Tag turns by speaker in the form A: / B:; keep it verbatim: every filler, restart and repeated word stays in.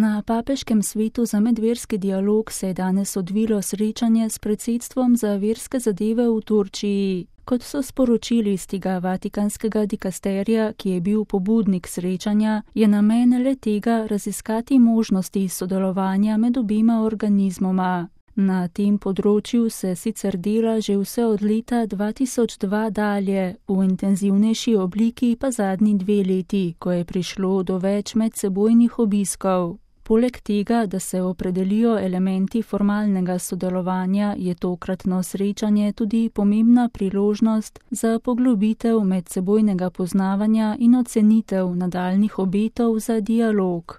A: Na Papeškem svetu za medverski dialog se je danes odvilo srečanje s predsedstvom za verske zadeve v Turčiji. Kot so sporočili iz tega vatikanskega dikasterija, ki je bil pobudnik srečanja, je namen le tega raziskati možnosti sodelovanja med obima organizmoma. Na tem področju se sicer dela že vse od leta dva tisoč dva dalje, v intenzivnejši obliki pa zadnji dve leti, ko je prišlo do več medsebojnih obiskov. Poleg tega, da se opredelijo elementi formalnega sodelovanja, je tokratno srečanje tudi pomembna priložnost za poglobitev medsebojnega poznavanja in ocenitev nadaljnjih obetov za dialog.